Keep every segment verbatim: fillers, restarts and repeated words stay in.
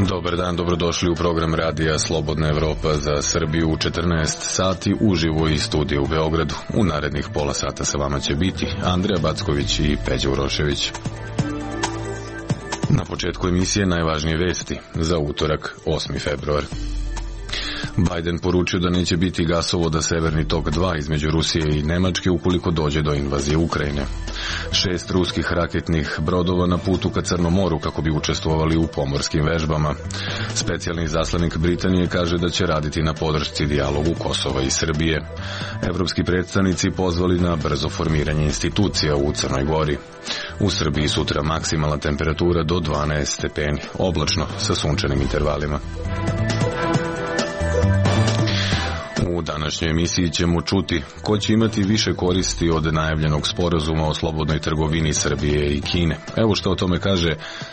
Dobar dan, dobrodošli u program radija Slobodna Evropa za Srbiju u četrnaest sati uživo iz studija u Beogradu. U narednih pola sata sa vama će biti Andreja Backović i Peđa Urošević. Na početku emisije najvažnije vesti za utorak, osmi februar. Biden poručio da neće biti gasovoda Severni tok dva između Rusije i Nemačke ukoliko dođe do invazije Ukrajine. Šest ruskih raketnih brodova na putu ka Crnom moru kako bi učestvovali u pomorskim vežbama. Specijalni zaslanik Britanije kaže da će raditi na podršci dijalogu Kosova i Srbije. Evropski predstavnici pozvali na brzo formiranje institucija u Crnoj Gori. U Srbiji sutra maksimalna temperatura do dvanaest stepeni, oblačno sa sunčanim intervalima. U današnjoj emisiji ćemo čuti ko će imati više koristi od najavljenog sporazuma o slobodnoj trgovini Srbije i Kine. Evo što o tome kaže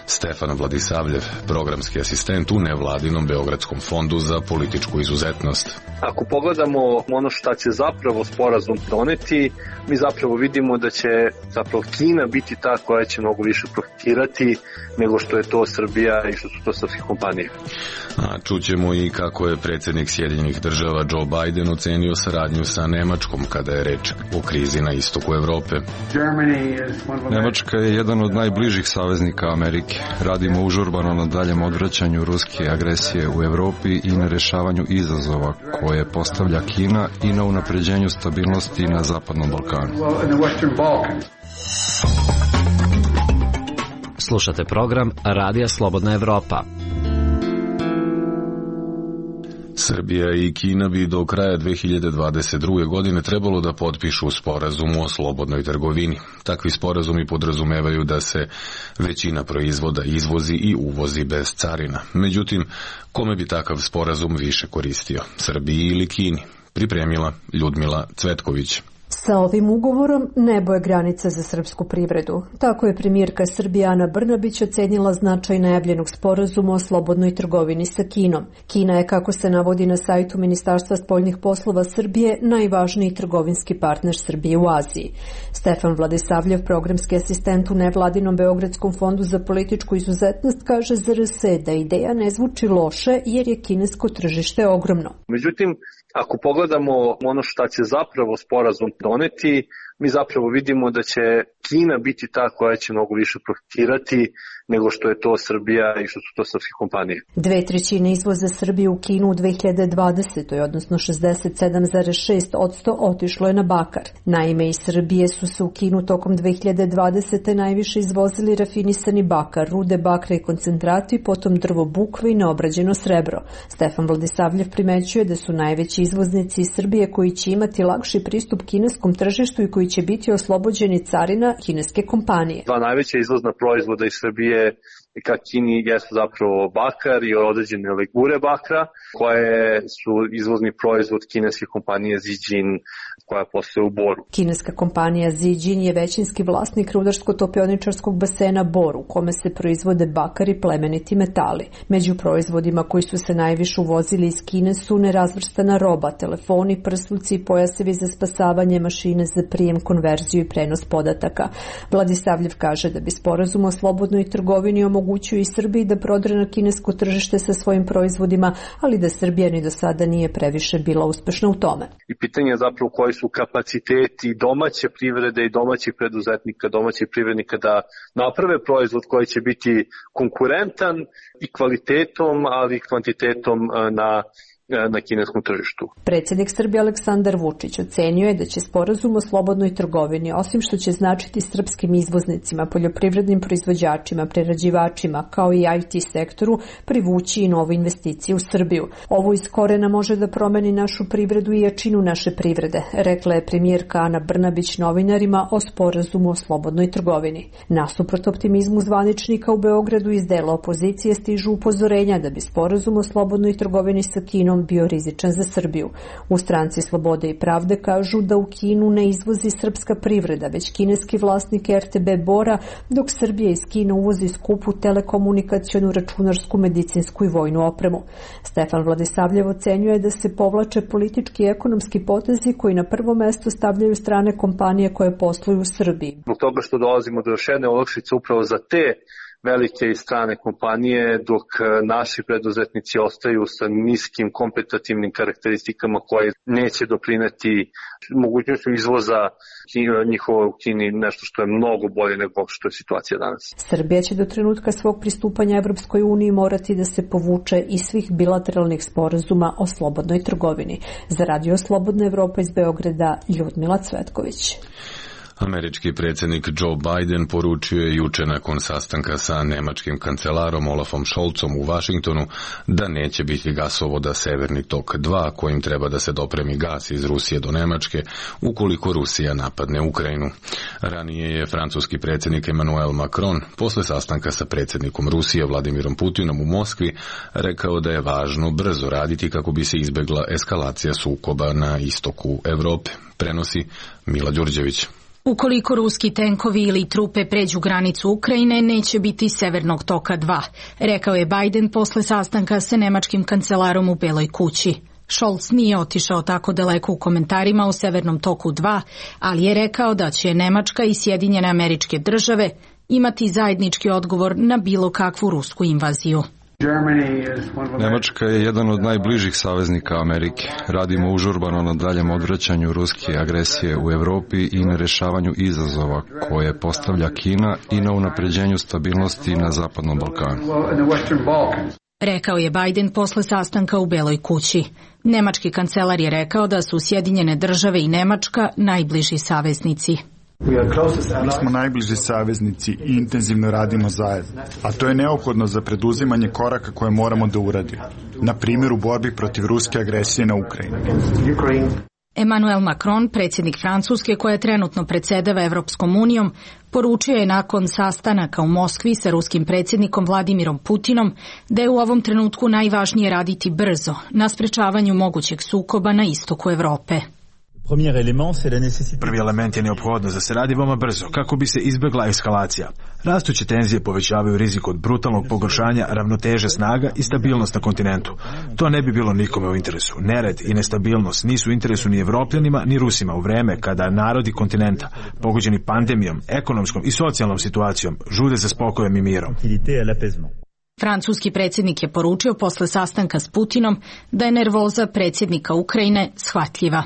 Stefan Vladisavljev, programski asistent u nevladinom Beogradskom fondu za političku izuzetnost. Ako pogledamo ono šta će zapravo sporazum doneti, mi zapravo vidimo da će zapravo Kina biti ta koja će mnogo više profitirati nego što je to Srbija i što su to srpske kompanije. A čućemo i kako je predsjednik Sjedinjenih država Joe Biden ocenio saradnju sa Nemačkom kada je reč o krizi na istoku Evrope. Nemačka je jedan od najbližih saveznika Amerike. Radimo užurbano na daljem odvraćanju ruske agresije u Evropi i na rešavanju izazova koje postavlja Kina i na unapređenju stabilnosti na Zapadnom Balkanu. Slušate program Radija Slobodna Evropa. Srbija i Kina bi do kraja dve hiljade dvadeset druge. godine trebalo da potpišu sporazum o slobodnoj trgovini. Takvi sporazumi podrazumevaju da se većina proizvoda izvozi i uvozi bez carina. Međutim, kome bi takav sporazum više koristio? Srbiji ili Kini? Pripremila Ljudmila Cvetković. Sa ovim ugovorom nebo je granica za srpsku privredu. Tako je premijerka Srbije Ana Brnabić ocenila značaj najavljenog sporazuma o slobodnoj trgovini sa Kinom. Kina je, kako se navodi na sajtu Ministarstva spoljnih poslova Srbije, najvažniji trgovinski partner Srbije u Aziji. Stefan Vladisavljev, programski asistent u nevladinom Beogradskom fondu za političku izuzetnost, kaže za R S da ideja ne zvuči loše jer je kinesko tržište ogromno. Međutim, ako pogledamo ono šta će zapravo sporazum doneti, mi zapravo vidimo da će Kina biti ta koja će mnogo više profitirati nego što je to Srbija i što su to srpske kompanije. Dve trećine izvoza Srbije u Kinu u dve hiljade dvadesetoj. odnosno šezdeset sedam zarez šest posto otišlo je na bakar. Naime, iz Srbije su se u Kinu tokom dve hiljade dvadesete. najviše izvozili rafinisani bakar, rude bakra i koncentrati, potom drvo bukve i neobrađeno srebro. Stefan Vladisavljev primećuje da su najveći izvoznici iz Srbije koji će imati lakši pristup kineskom tržištu i koji će biti oslobođeni carina kineske kompanije. Dva najveća izvozna proizvoda iz Srbije ka Kini jesu zapravo bakar i određene legure bakra, koje su izvozni proizvod kineske kompanije Zijin koja posluje u Boru. Kineska kompanija Zijin je većinski vlasnik rudarsko-topioničarskog basena Bor, u kome se proizvode bakar i plemeniti metali. Među proizvodima koji su se najviše uvozili iz Kine su nerazvrstana roba, telefoni, prsluci i pojasevi za spasavanje, mašine za prijem, konverziju i prenos podataka. Vladisavljev kaže da bi sporazum o slobodnoj trgovini omogućio i Srbiji da prodre na kinesko tržište sa svojim proizvodima, ali da Srbija ni do sada nije previše bila uspešna u tome. I pitanje je zapravo koji su kapaciteti domaće privrede i domaćih preduzetnika, domaćih privrednika da naprave proizvod koji će biti konkurentan i kvalitetom, ali i kvantitetom na na kineskom tržištu. Predsjednik Srbije Aleksandar Vučić ocenio je da će sporazum o slobodnoj trgovini, osim što će značiti srpskim izvoznicima, poljoprivrednim proizvođačima, prerađivačima, kao i I T sektoru, privući i nove investicije u Srbiju. Ovo iz korena može da promeni našu privredu i jačinu naše privrede, rekla je premijerka Ana Brnabić novinarima o sporazumu o slobodnoj trgovini. Nasuprot optimizmu zvaničnika u Beogradu iz dela opozicije stižu upozorenja da bi sporazum o slobodnoj trgovini sa Kinom on bio rizičan za Srbiju. U stranci Slobode i pravde kažu da u Kinu ne izvozi srpska privreda, već kineski vlasnik er te be Bora, dok Srbija iz Kine uvozi skupu telekomunikacionu, računarsku, medicinsku i vojnu opremu. Stefan Vladisavljev ocenjuje da se povlače politički i ekonomski potezi koji na prvo mesto stavljaju strane kompanije koje posluju u Srbiji. Zbog toga što dolazimo do još jedne olakšice upravo za te velike i strane kompanije, dok naši preduzetnici ostaju sa niskim kompetitivnim karakteristikama koje neće doprineti mogućnošću izvoza njihovo u Kini, nešto što je mnogo bolje nego što je situacija danas. Srbija će do trenutka svog pristupanja Evropskoj uniji morati da se povuče iz svih bilateralnih sporazuma o slobodnoj trgovini. Za Radio Slobodna Evropa iz Beograda, Ljudmila Cvetković. Američki predsjednik Joe Biden poručio je juče nakon sastanka sa nemačkim kancelarom Olafom Scholzom u Vašingtonu da neće biti gasovoda Severni tok dva kojim treba da se dopremi gas iz Rusije do Nemačke ukoliko Rusija napadne Ukrajinu. Ranije je francuski predsjednik Emmanuel Macron posle sastanka sa predsjednikom Rusije Vladimirom Putinom u Moskvi rekao da je važno brzo raditi kako bi se izbjegla eskalacija sukoba na istoku Evrope. Prenosi Mila Đurđević. Ukoliko ruski tenkovi ili trupe pređu granicu Ukrajine, neće biti Severnog toka dva, rekao je Biden posle sastanka sa nemačkim kancelarom u Beloj kući. Scholz nije otišao tako daleko u komentarima o Severnom toku dva, ali je rekao da će Nemačka i Sjedinjene Američke Države imati zajednički odgovor na bilo kakvu rusku invaziju. Nemačka je jedan od najbližih saveznika Amerike. Radimo užurbano na daljem odvraćanju ruske agresije u Evropi i na rešavanju izazova koje postavlja Kina i na unapređenju stabilnosti na Zapadnom Balkanu. Rekao je Biden posle sastanka u Beloj kući. Nemački kancelar je rekao da su Sjedinjene Države i Nemačka najbliži saveznici. Mi smo najbliži saveznici i intenzivno radimo zajedno, a to je neophodno za preduzimanje koraka koje moramo da uradimo, na primjer u borbi protiv ruske agresije na Ukrajinu. Emmanuel Macron, predsjednik Francuske koja trenutno predsjedava Evropskom unijom, poručio je nakon sastanaka u Moskvi sa ruskim predsjednikom Vladimirom Putinom da je u ovom trenutku najvažnije raditi brzo na sprečavanju mogućeg sukoba na istoku Evrope. Prvi element je neophodnost da se radi veoma brzo kako bi se izbjegla eskalacija. Rastuće tenzije povećavaju rizik od brutalnog pogoršanja ravnoteže snaga i stabilnost na kontinentu. To ne bi bilo nikome u interesu. Nered i nestabilnost nisu u interesu ni Evropljanima ni Rusima u vreme kada narodi kontinenta, pogođeni pandemijom, ekonomskom i socijalnom situacijom, žude za spokojem i mirom. Francuski predsjednik je poručio posle sastanka s Putinom da je nervoza predsjednika Ukrajine shvatljiva.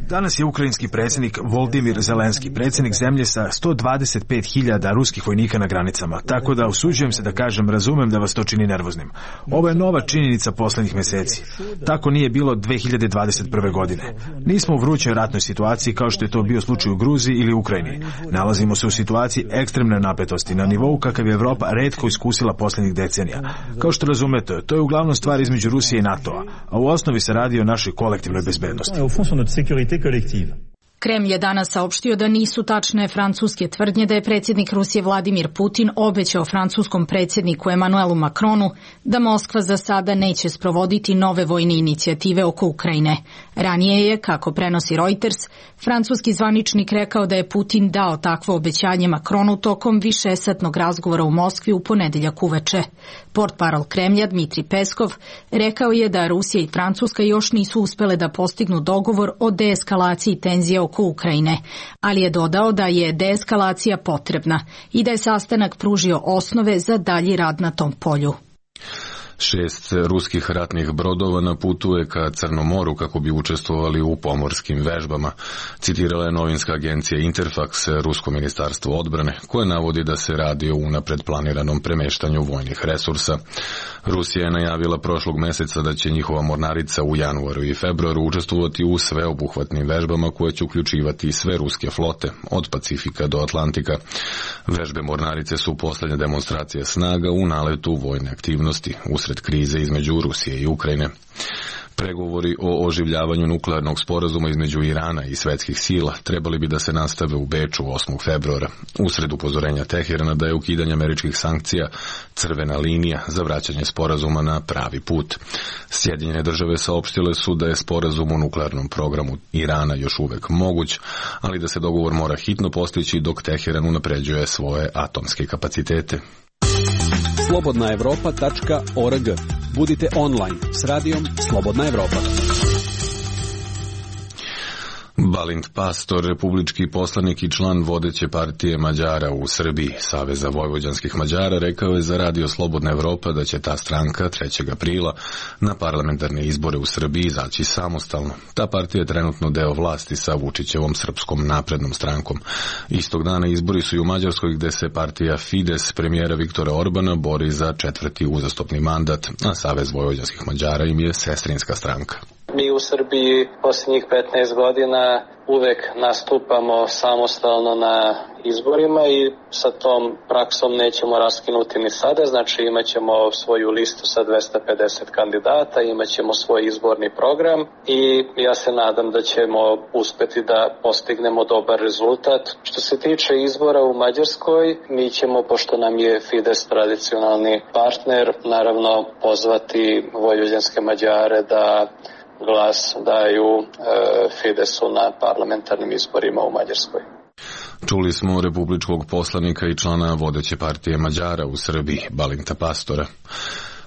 Danas je ukrajinski predsjednik Volodymyr Zelenski, predsjednik zemlje sa sto dvadeset pet hiljada ruskih vojnika na granicama, tako da usuđujem se da kažem, razumem da vas to čini nervoznim. Ovo je nova činjenica posljednjih mjeseci. Tako nije bilo dve hiljade dvadeset prve. godine. Nismo u vrućoj ratnoj situaciji kao što je to bio slučaj u Gruziji ili Ukrajini. Nalazimo se u situaciji ekstremne napetosti na nivou kakav je Evropa retko iskusila posljednjih decenija. Kao što razumete, to je uglavnom stvar između Rusije i NATO-a, a u osnovi se radi o našoj kolektivnoj bezbednosti. Kremlj je danas saopštio da nisu tačne francuske tvrdnje da je predsjednik Rusije Vladimir Putin obećao francuskom predsjedniku Emmanuelu Macronu da Moskva za sada neće sprovoditi nove vojne inicijative oko Ukrajine. Ranije je, kako prenosi Reuters, francuski zvaničnik rekao da je Putin dao takvo obećanje Macronu tokom višesatnog razgovora u Moskvi u ponedeljak uveče. Portparol Kremlja Dmitri Peskov rekao je da Rusija i Francuska još nisu uspele da postignu dogovor o deeskalaciji tenzija oko Ukrajine, ali je dodao da je deeskalacija potrebna i da je sastanak pružio osnove za dalji rad na tom polju. Šest ruskih ratnih brodova na putu je ka Crnom moru kako bi učestvovali u pomorskim vežbama, citirala je novinska agencija Interfax Rusko ministarstvo odbrane, koje navodi da se radi o unapred planiranom premeštanju vojnih resursa. Rusija je najavila prošlog meseca da će njihova mornarica u januaru i februaru učestvovati u sveobuhvatnim vežbama koje će uključivati sve ruske flote, od Pacifika do Atlantika. Vežbe mornarice su posljednja demonstracija snaga u naletu vojne aktivnosti usred krize između Rusije i Ukrajine. Pregovori o oživljavanju nuklearnog sporazuma između Irana i svetskih sila trebali bi da se nastave u Beču osmog februara, usred upozorenja Teherana da je ukidanje američkih sankcija crvena linija za vraćanje sporazuma na pravi put. Sjedinjene države saopštile su da je sporazum o nuklearnom programu Irana još uvek moguć, ali da se dogovor mora hitno postići dok Teheran unapređuje svoje atomske kapacitete. slobodna evropa tačka org. Budite online s radijom Slobodna Evropa. Balint Pastor, republički poslanik i član vodeće partije Mađara u Srbiji, Saveza vojvođanskih Mađara, rekao je za radio Slobodna Evropa da će ta stranka trećeg aprila na parlamentarne izbore u Srbiji izaći samostalno. Ta partija je trenutno deo vlasti sa Vučićevom Srpskom naprednom strankom. Istog dana izbori su i u Mađarskoj, gde se partija Fides premijera Viktora Orbana bori za četvrti uzastopni mandat, a Savez vojvođanskih Mađara im je sestrinska stranka. Mi u Srbiji posljednjih petnaest godina uvek nastupamo samostalno na izborima i sa tom praksom nećemo raskinuti ni sada, znači imat ćemo svoju listu sa dvesta pedeset kandidata, imat ćemo svoj izborni program i ja se nadam da ćemo uspeti da postignemo dobar rezultat. Što se tiče izbora u Mađarskoj, mi ćemo, pošto nam je Fides tradicionalni partner, naravno pozvati vojvođanske Mađare da glas daju e, Fidesu na parlamentarnim izborima u Mađarskoj. Čuli smo republičkog poslanika i člana vodeće partije Mađara u Srbiji, Balinta Pastora.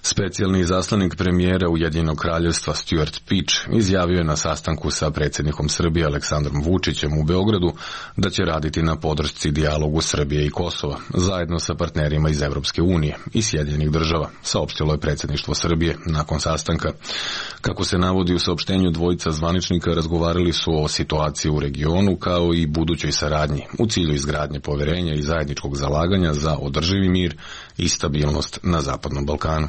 Specijalni izaslanik premijera Ujedinjenog kraljevstva Stuart Peach izjavio je na sastanku sa predsjednikom Srbije Aleksandrom Vučićem u Beogradu da će raditi na podršci dijalogu Srbije i Kosova, zajedno sa partnerima iz Evropske unije i Sjedinjenih država, saopštilo je predsjedništvo Srbije nakon sastanka. Kako se navodi u saopštenju, dvojica zvaničnika razgovarali su o situaciji u regionu kao i budućoj saradnji u cilju izgradnje poverenja i zajedničkog zalaganja za održivi mir i stabilnost na Zapadnom Balkanu.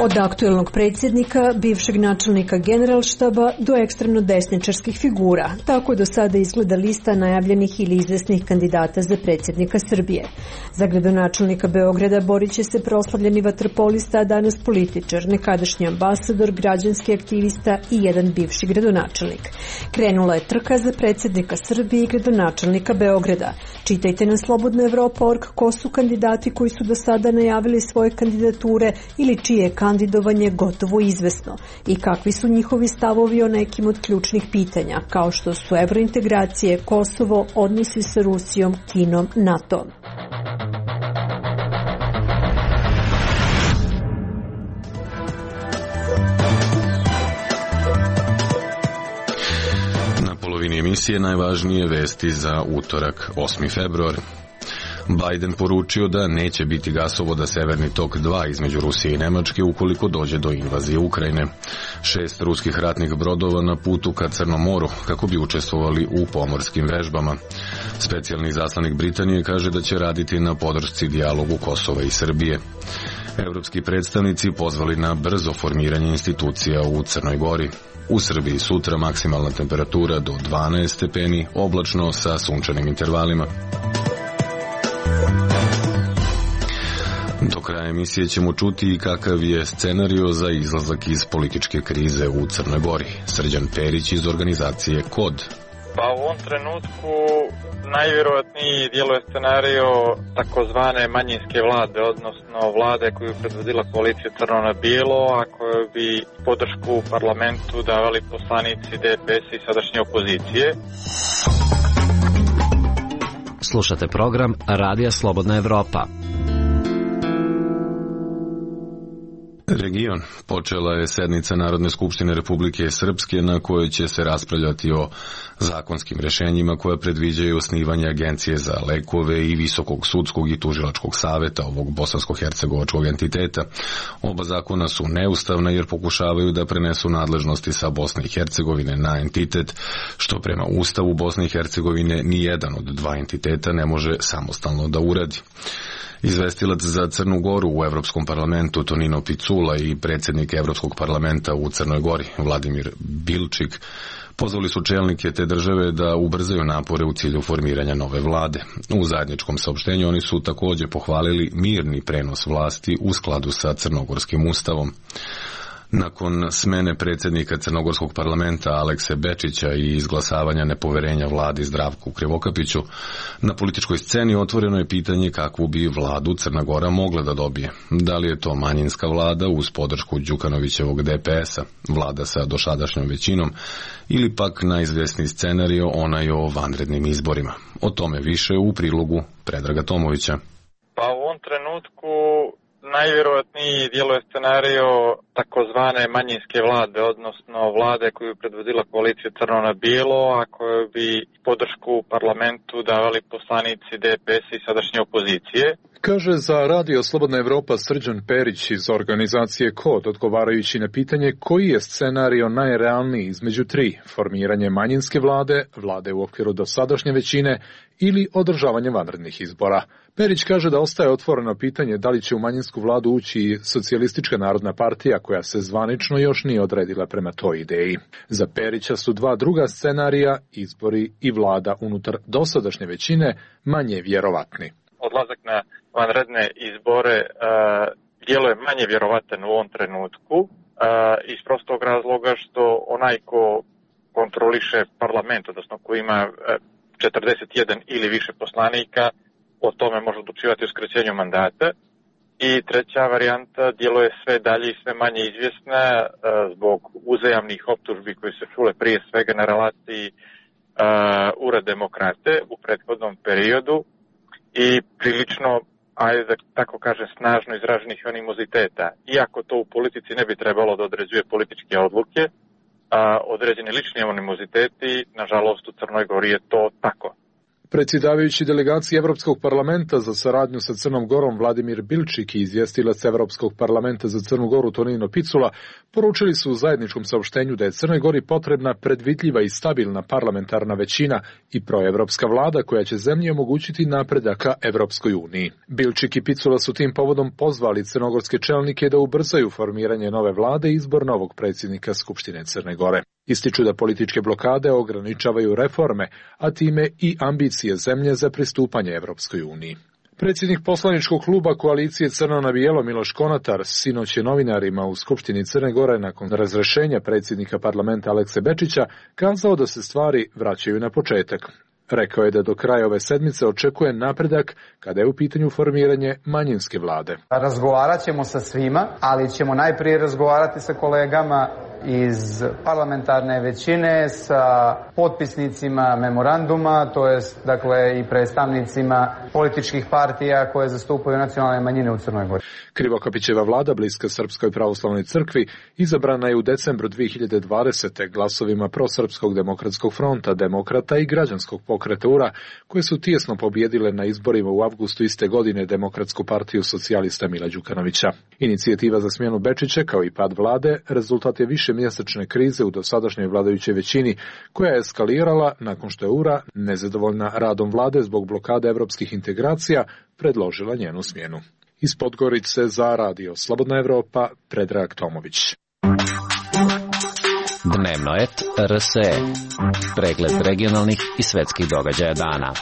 Od aktuelnog predsjednika, bivšeg načelnika generalštaba do ekstremno desničarskih figura, tako do sada izgleda lista najavljenih ili izvesnih kandidata za predsjednika Srbije. Za gradonačelnika Beograda borit će se proslavljeni vaterpolista, a danas političar, nekadašnji ambasador, građanski aktivista i jedan bivši gradonačelnik. Krenula je trka za predsjednika Srbije i gradonačelnika Beograda. Čitajte na slobodna evropa tačka org ko su kandidati koji su do sada najavili svoje kandidature ili čije je kandidovanje gotovo izvesno i kakvi su njihovi stavovi o nekim od ključnih pitanja, kao što su evrointegracije, Kosovo, odnosi sa Rusijom, Kinom, NATO. Na polovini emisije najvažnije vesti za utorak, osmi februar. Biden poručio da neće biti gasovoda Severni tok dva između Rusije i Nemačke ukoliko dođe do invazije Ukrajine. Šest ruskih ratnih brodova na putu ka Crnom moru kako bi učestvovali u pomorskim vežbama. Specijalni izaslanik Britanije kaže da će raditi na podršci dijalogu Kosova i Srbije. Evropski predstavnici pozvali na brzo formiranje institucija u Crnoj Gori. U Srbiji sutra maksimalna temperatura do dvanaest stepeni, oblačno sa sunčanim intervalima. Do kraja emisije ćemo čuti i kakav je scenario za izlazak iz političke krize u Crnoj Gori. Srđan Perić iz organizacije Kod. Pa u ovom trenutku najvjerojatniji djeluje scenario takozvane manjinske vlade, odnosno vlade koju predvodila koalicija Crno na bijelo, a koju bi podršku u parlamentu davali poslanici D P S i sadašnje opozicije. Slušate program Radija Slobodna Evropa. Region. Počela je sednica Narodne skupštine Republike Srpske na kojoj će se raspravljati o zakonskim rešenjima koja predviđaju osnivanje agencije za lekove i Visokog sudskog i tužilačkog saveta ovog bosansko-hercegovačkog entiteta. Oba zakona su neustavna jer pokušavaju da prenesu nadležnosti sa Bosne i Hercegovine na entitet, što prema Ustavu Bosne i Hercegovine ni jedan od dva entiteta ne može samostalno da uradi. Izvestilac za Crnu Goru u Evropskom parlamentu Tonino Picula i predsjednik Evropskog parlamenta u Crnoj Gori Vladimir Bilčik Pozvali su čelnike te države da ubrzaju napore u cilju formiranja nove vlade. U zajedničkom saopštenju oni su također pohvalili mirni prenos vlasti u skladu sa crnogorskim ustavom. Nakon smene predsjednika Crnogorskog parlamenta Alekse Bečića i izglasavanja nepoverenja vladi Zdravku Krivokapiću, na političkoj sceni otvoreno je pitanje kakvu bi vladu Crna Gora mogla da dobije. Da li je to manjinska vlada uz podršku Đukanovićevog D P S-a, vlada sa dosadašnjom većinom, ili pak najizvjesniji scenario onaj o vanrednim izborima. O tome više u prilogu Predraga Tomovića. Pa u ovom trenutku najvjerojatniji djeluje scenario takozvane manjinske vlade, odnosno vlade koju predvodila koalicija Crno na bijelo, a koju bi podršku u parlamentu davali poslanici D P S i sadašnje opozicije. Kaže za Radio Slobodna Evropa Srđan Perić iz organizacije Kod, odgovarajući na pitanje koji je scenario najrealniji između tri, formiranje manjinske vlade, vlade u okviru dosadašnje većine ili održavanje vanrednih izbora. Perić kaže da ostaje otvoreno pitanje da li će u manjinsku vladu ući Socijalistička narodna partija koja se zvanično još nije odredila prema toj ideji. Za Perića su dva druga scenarija, izbori i vlada unutar dosadašnje većine, manje vjerovatni. Odlazak na vanredne izbore uh, djeluje manje vjerovatan u ovom trenutku uh, iz prostog razloga što onaj ko kontroliše parlament, odnosno ko ima uh, četrdeset jedan ili više poslanika, o tome može odlučivati o skraćenju mandata. I treća varijanta djeluje sve dalje i sve manje izvjesna uh, zbog uzajamnih optužbi koji se čule prije svega na relaciji uh, ura demokrate u prethodnom periodu i prilično, ajde da tako kažem, snažno izraženih animoziteta. Iako to u politici ne bi trebalo da određuje političke odluke, a određeni lični animoziteti, nažalost u Crnoj Gori je to tako. Predsjedavajući delegaciji Evropskog parlamenta za saradnju sa Crnom Gorom Vladimir Bilčik i izvjestilac Evropskog parlamenta za Crnu Goru Tonino Picula poručili su u zajedničkom saopštenju da je Crnoj Gori potrebna predvidljiva i stabilna parlamentarna većina i proevropska vlada koja će zemlji omogućiti napredak ka Evropskoj uniji. Bilčik i Picula su tim povodom pozvali crnogorske čelnike da ubrzaju formiranje nove vlade i izbor novog predsjednika Skupštine Crne Gore. Ističu da političke blokade ograničavaju reforme, a time i ambicije zemlje za pristupanje Evropskoj uniji. Predsjednik poslaničkog kluba koalicije Crno na bijelo Miloš Konatar sinoć je novinarima u Skupštini Crne Gore nakon razrešenja predsjednika parlamenta Alekse Bečića kazao da se stvari vraćaju na početak. Rekao je da do kraja ove sedmice očekuje napredak kada je u pitanju formiranje manjinske vlade. Razgovarat ćemo sa svima, ali ćemo najprije razgovarati sa kolegama iz parlamentarne većine, sa potpisnicima memoranduma, to jest dakle i predstavnicima političkih partija koje zastupaju nacionalne manjine u Crnoj Gori. Krivokapićeva vlada, bliska Srpskoj pravoslavnoj crkvi, izabrana je u decembru dvije hiljade dvadesete glasovima Prosrpskog demokratskog fronta, Demokrata i Građanskog pokreta U R A, koje su tijesno pobjedile na izborima u avgustu iste godine Demokratsku partiju socijalista Mila Đukanovića. Inicijativa za smjenu Bečića kao i pad vlade rezultat je više mjesečne krize u dosadašnjoj vladajućoj većini, koja je eskalirala nakon što je U R A, nezadovoljna radom vlade zbog blokade evropskih integracija, predložila njenu smjenu. Iz Podgorice za Radio Slobodna Evropa, Predrag Tomović. Dnevno et R S E. Pregled regionalnih i svetskih događaja dana.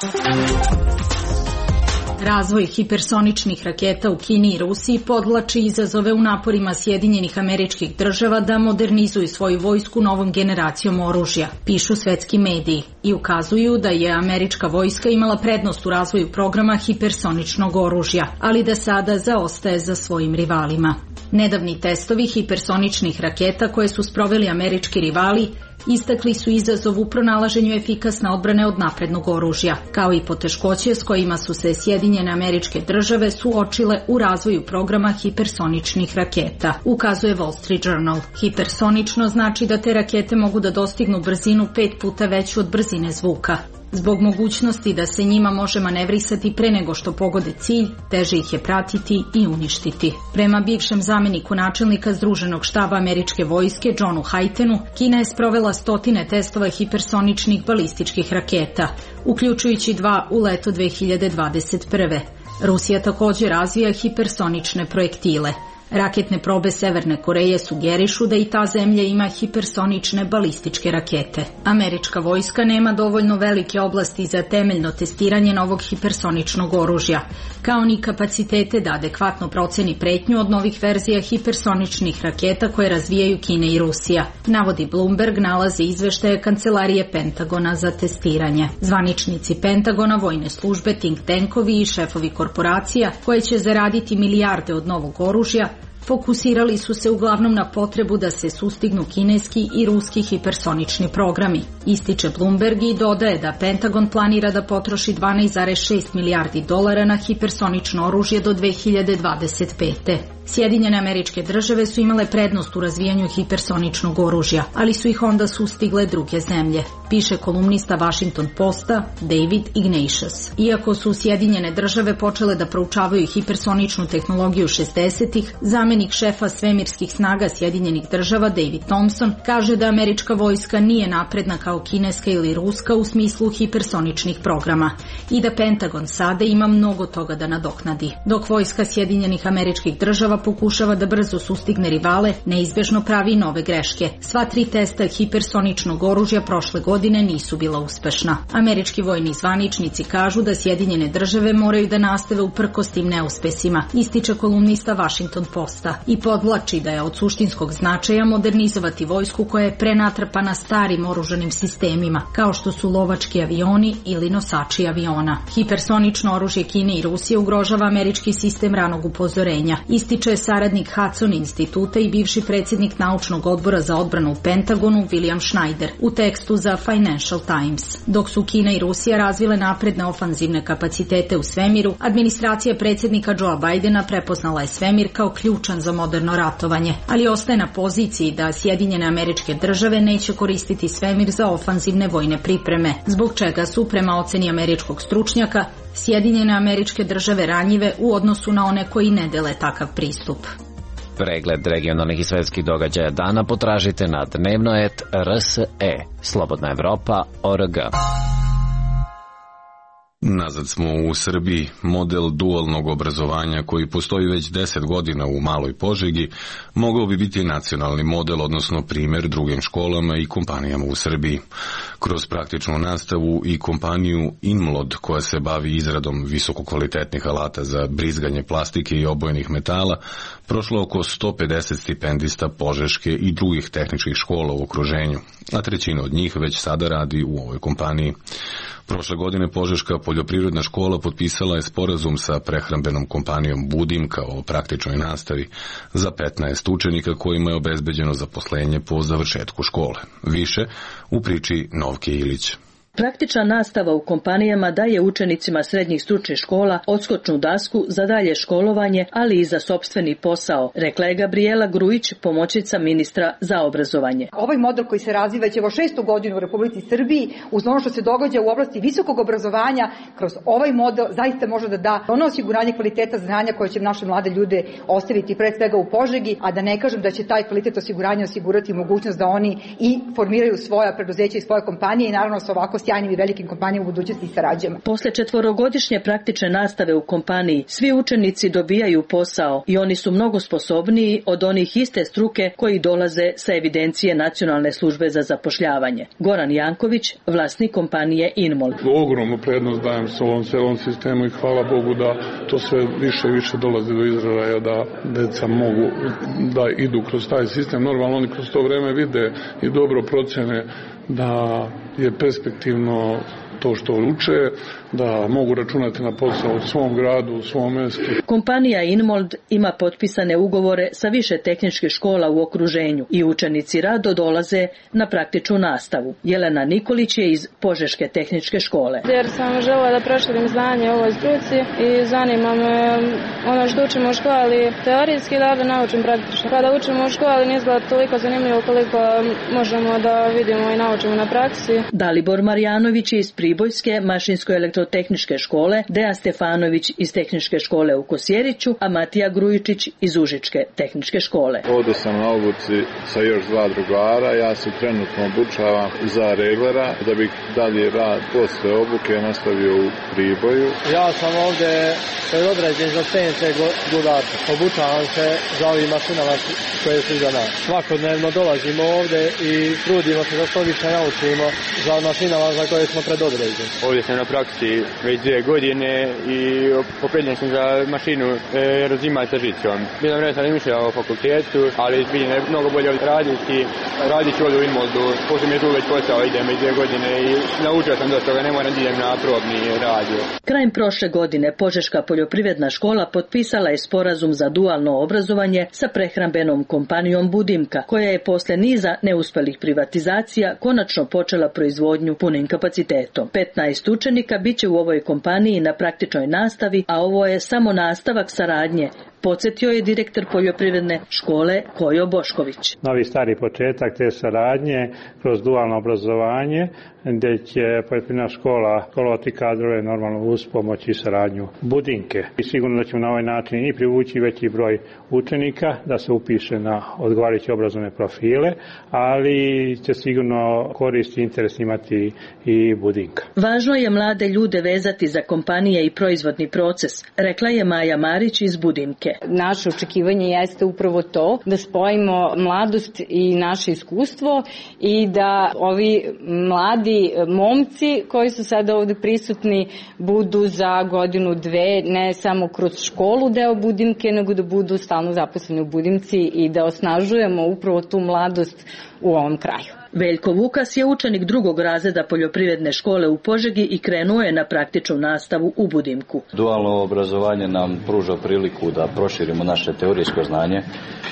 Razvoj hipersoničnih raketa u Kini i Rusiji podvlači izazove u naporima Sjedinjenih Američkih Država da modernizuju svoju vojsku novom generacijom oružja, pišu svetski mediji, i ukazuju da je američka vojska imala prednost u razvoju programa hipersoničnog oružja, ali da sada zaostaje za svojim rivalima. Nedavni testovi hipersoničnih raketa koje su sproveli američki rivali istakli su izazov u pronalaženju efikasne odbrane od naprednog oružja, kao i poteškoće s kojima su se Sjedinjene Američke Države suočile u razvoju programa hipersoničnih raketa, ukazuje Wall Street Journal. Hipersonično znači da te rakete mogu da dostignu brzinu pet puta veću od brzine zvuka. Zbog mogućnosti da se njima može manevrisati pre nego što pogode cilj, teže ih je pratiti i uništiti. Prema bivšem zamjeniku načelnika Združenog štaba američke vojske, Johnu Haytenu, Kina je sprovela stotine testova hipersoničnih balističkih raketa, uključujući dva u leto dve hiljade dvadeset prve. Rusija također razvija hipersonične projektile. Raketne probe Severne Koreje sugerišu da i ta zemlja ima hipersonične balističke rakete. Američka vojska nema dovoljno velike oblasti za temeljno testiranje novog hipersoničnog oružja, kao ni kapacitete da adekvatno proceni pretnju od novih verzija hipersoničnih raketa koje razvijaju Kina i Rusija, navodi Bloomberg nalaze izveštaje Kancelarije Pentagona za testiranje. Zvaničnici Pentagona, vojne službe, think tankovi i šefovi korporacija koje će zaraditi milijarde od novog oružja fokusirali su se uglavnom na potrebu da se sustignu kineski i ruski hipersonični programi. Ističe Bloomberg i dodaje da Pentagon planira da potroši dvanaest zarez šest milijardi dolara na hipersonično oružje do dve hiljade dvadeset pete. Sjedinjene Američke Države su imale prednost u razvijanju hipersoničnog oružja, ali su ih onda sustigle druge zemlje, piše kolumnista Washington Posta David Ignatius. Iako su Sjedinjene Države počele da proučavaju hipersoničnu tehnologiju šezdesetih, zamenik šefa svemirskih snaga Sjedinjenih Država David Thompson kaže da američka vojska nije napredna kao kineska ili ruska u smislu hipersoničnih programa i da Pentagon sada ima mnogo toga da nadoknadi. Dok vojska Sjedinjenih Američkih Država pokušava da brzo sustigne rivale, neizbežno pravi nove greške. Sva tri testa hipersoničnog oružja prošle godine nisu bila uspešna. Američki vojni zvaničnici kažu da Sjedinjene Države moraju da nastave uprkos tim neuspesima, ističe kolumnista Washington Posta i podvlači da je od suštinskog značaja modernizovati vojsku koja je prenatrpana starim oružanim sistemima, kao što su lovački avioni ili nosači aviona. Hipersonično oružje Kine i Rusije ugrožava američki sistem ranog upozorenja, ističe je saradnik Hudson instituta i bivši predsjednik naučnog odbora za odbranu u Pentagonu William Schneider u tekstu za Financial Times. Dok su Kina i Rusija razvile napredne ofanzivne kapacitete u svemiru, administracija predsjednika Joea Bidena prepoznala je svemir kao ključan za moderno ratovanje, ali ostaje na poziciji da Sjedinjene Američke Države neće koristiti svemir za ofanzivne vojne pripreme, zbog čega su, prema oceni američkog stručnjaka, Sjedinjene Američke Države ranjive u odnosu na one koji ne dele takav pristup. Pregled regionalnih i svetskih događaja dana potražite na dnevnoet R S E, Slobodna Evropa, O R G. Nazad smo u Srbiji. Model dualnog obrazovanja koji postoji već deset godina u Maloj Požegi mogao bi biti nacionalni model, odnosno primjer drugim školama i kompanijama u Srbiji. Kroz praktičnu nastavu i kompaniju Inmlod, koja se bavi izradom visokokvalitetnih alata za brizganje plastike i obojnih metala, prošlo oko sto pedeset stipendista Požeške i drugih tehničkih škola u okruženju, a trećina od njih već sada radi u ovoj kompaniji. Prošle godine Požeška poljoprivredna škola potpisala je sporazum sa prehrambenom kompanijom Budimka o praktičnoj nastavi za petnaest učenika kojima je obezbeđeno zaposlenje po završetku škole. Više u priči Novke Ilić. Praktična nastava u kompanijama daje učenicima srednjih stručnih škola odskočnu dasku za dalje školovanje, ali i za sopstveni posao, rekla je Gabriela Grujić, pomoćnica ministra za obrazovanje. Ovaj model koji se razvija već evo šestu godinu u Republici Srbiji, uz ono što se događa u oblasti visokog obrazovanja, kroz ovaj model zaista može da da ono osiguranje kvaliteta znanja koje će naše mlade ljude ostaviti pred svega u Požegi, a da ne kažem da će taj kvalitet osiguranja osigurati mogućnost da oni i formiraju svoja preduzeća i svoje kompanije i naravno sa ovako sjajnim i velikim kompanijama u budućnosti i sarađujemo. Posle četvorogodišnje praktične nastave u kompaniji, svi učenici dobijaju posao i oni su mnogo sposobniji od onih iste struke koji dolaze sa evidencije Nacionalne službe za zapošljavanje. Goran Janković, vlasnik kompanije Inmol. Ogromnu prednost dajem s ovom celom sistemu i hvala Bogu da to sve više i više dolazi do izražaja, da deca mogu da idu kroz taj sistem. Normalno oni kroz to vreme vide i dobro procene da je perspektivno to što uče, da mogu računati na posao u svom gradu, u svom mestu. Kompanija Inmold ima potpisane ugovore sa više tehničkih škola u okruženju i učenici rado dolaze na praktičnu nastavu. Jelena Nikolić je iz Požeške tehničke škole. Jer sam želela da proširim znanje o ovoj struci i zanima me ono što učimo u školi teorijski, da da naučim praktično. Kada učimo u školi ne izgleda toliko zanimljivo koliko možemo da vidimo i naučimo na praksi. Dalibor Marjanović je iz Pribora Pribojske mašinsko-elektrotehničke škole, Dejan Stefanović iz Tehničke škole u Kosjeriću, a Matija Grujičić iz Užičke tehničke škole. Ovdje sam na obuci sa još dva drugara, ja se trenutno obučavam za reglera, da bih dalje rad posle obuke nastavio u Priboju. Ja sam ovdje predodređen za C N C gudar, obučavam se za ovim mašinama koje su za nas. Svakodnevno dolazimo ovdje i trudimo se da što više naučimo za mašinama za koje smo predodređeni. Ovdje sam na praksi već dvije godine i opredeljen sam za mašinu e, razimati sa žicom. Bilo vreme sam mišljao o fakultetu, ali vidim da je mnogo bolje raditi. Radit ću ovdje u Imoldu, pošto mi je tu već posao, idem već dvije godine i naučio sam dosta toga, ne moram da idem na probni radio. Krajem prošle godine Požeška poljoprivredna škola potpisala je sporazum za dualno obrazovanje sa prehrambenom kompanijom Budimka, koja je posle niza neuspelih privatizacija konačno počela proizvodnju punim kapacitetom. petnaest učenika biće u ovoj kompaniji na praktičnoj nastavi, a ovo je samo nastavak saradnje, podsjetio je direktor poljoprivredne škole Kojo Bošković. Novi stari početak te saradnje kroz dualno obrazovanje, gdje će poljoprivredna škola školovati kadrove normalno uz pomoć i saradnju Budinke. I sigurno da ćemo na ovaj način i privući veći broj učenika da se upiše na odgovarajuće obrazovne profile, ali će sigurno korist i interes imati i Budinka. Važno je mlade ljude vezati za kompanije i proizvodni proces, rekla je Maja Marić iz Budimke. Naše očekivanje jeste upravo to, da spojimo mladost i naše iskustvo i da ovi mladi momci koji su sada ovde prisutni budu za godinu, dve, ne samo kroz školu deo Budimke, nego da budu stalno zaposleni u Budimci i da osnažujemo upravo tu mladost u ovom kraju. Veljko Vukas je učenik drugog razreda poljoprivredne škole u Požegi i krenuo je na praktičnu nastavu u Budimku. Dualno obrazovanje nam pruža priliku da proširimo naše teorijsko znanje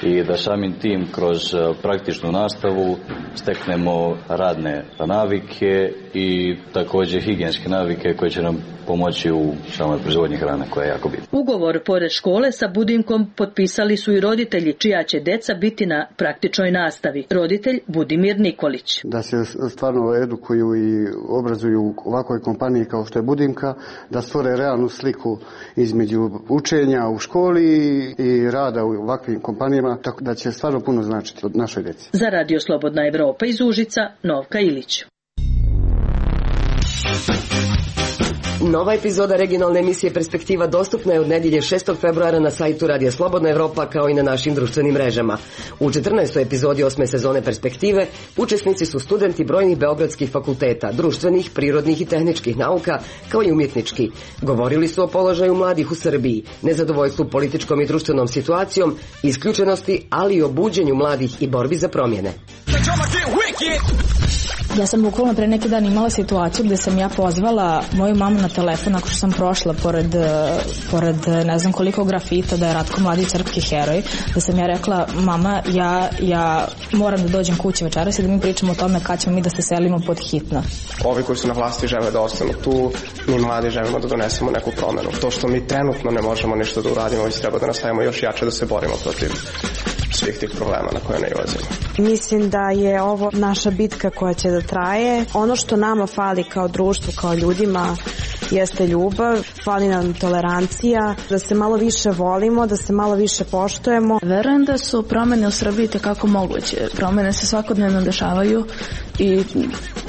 i da samim tim kroz praktičnu nastavu steknemo radne navike i također higijenske navike koje će nam pomoći u samoj proizvodnji hrane koja je jako bitna. Ugovor pored škole sa Budimkom potpisali su i roditelji čija će deca biti na praktičnoj nastavi. Roditelj Budimir Nikolić. Da se stvarno edukuju i obrazuju u ovakvoj kompaniji kao što je Budimka, da stvore realnu sliku između učenja u školi i rada u ovakvim kompanijama, tako da će stvarno puno značiti od našoj djeci. Za Radio Slobodna Evropa iz Užica, Novka Ilić. Nova epizoda regionalne emisije Perspektiva dostupna je od nedjelje šestog februara na sajtu Radija Slobodna Evropa kao i na našim društvenim mrežama. U četrnaestoj epizodi osme sezone Perspektive učesnici su studenti brojnih beogradskih fakulteta, društvenih, prirodnih i tehničkih nauka, kao i umjetnički. Govorili su o položaju mladih u Srbiji, nezadovoljstvu političkom i društvenom situacijom, isključenosti, ali i o buđenju mladih i borbi za promjene. Ja sam bukvalno pre neki dan imala situaciju gde sam ja pozvala moju mamu na telefon nakon što sam prošla pored, pored ne znam koliko grafita da je Ratko Mladić srpski heroj, da sam ja rekla mama ja, ja moram da dođem kući večeras i da mi pričamo o tome kad ćemo mi da se selimo pod hitno. Ovi koji su na vlasti žele da ostanu tu, mi mladi želimo da donesemo neku promenu. To što mi trenutno ne možemo ništa da uradimo, već treba da nastavimo još jače da se borimo protiv svih tih problema na koje nailazimo. Mislim da je ovo naša bitka koja će da traje. Ono što nama fali kao društvu, kao ljudima, jeste ljubav, fali nam tolerancija, da se malo više volimo, da se malo više poštujemo. Verujem da su promene u Srbiji tekako moguće. Promene se svakodnevno dešavaju i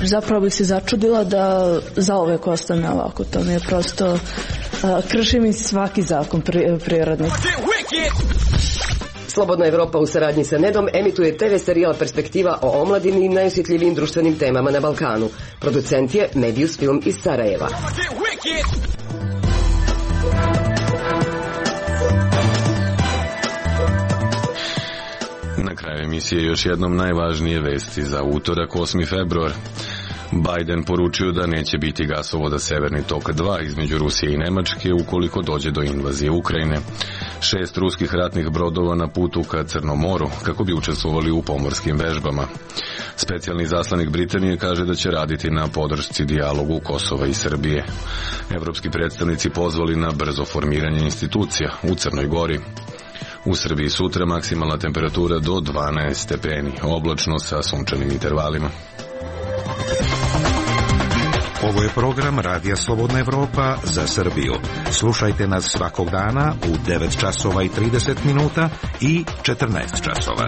zapravo bih se začudila da zauvek ostane ovako. To mi je prosto, uh, krši mi svaki zakon pri, prirodni. Slobodna Evropa u saradnji sa Nedom emituje te ve serijal Perspektiva o omladini i najosjetljivijim društvenim temama na Balkanu. Producent je Medius Film iz Sarajeva. Na kraju emisije još jednom najvažnije vesti za utorak osmi februar. Biden poručio da neće biti gasovoda Severni tok dva između Rusije i Nemačke ukoliko dođe do invazije Ukrajine. Šest ruskih ratnih brodova na putu ka Crnom moru kako bi učestvovali u pomorskim vežbama. Specijalni zaslanik Britanije kaže da će raditi na podršci dijalogu Kosova i Srbije. Evropski predstavnici pozvali na brzo formiranje institucija u Crnoj Gori. U Srbiji sutra maksimalna temperatura do dvanaest stepeni, oblačno sa sunčanim intervalima. Ovo je program Radija Slobodna Evropa za Srbiju. Slušajte nas svakog dana u devet časova i trideset minuta i četrnaest časova.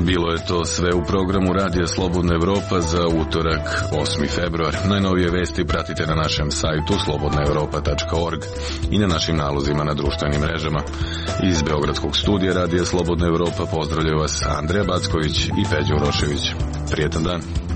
Bilo je to sve u programu Radija Slobodna Evropa za utorak osmi februar. Najnovije vesti pratite na našem sajtu slobodna evropa tačka org i na našim nalozima na društvenim mrežama. Iz Beogradskog studija Radija Slobodna Evropa pozdravljaju vas Andreja Backović i Peđa Urošević. Prijetan dan.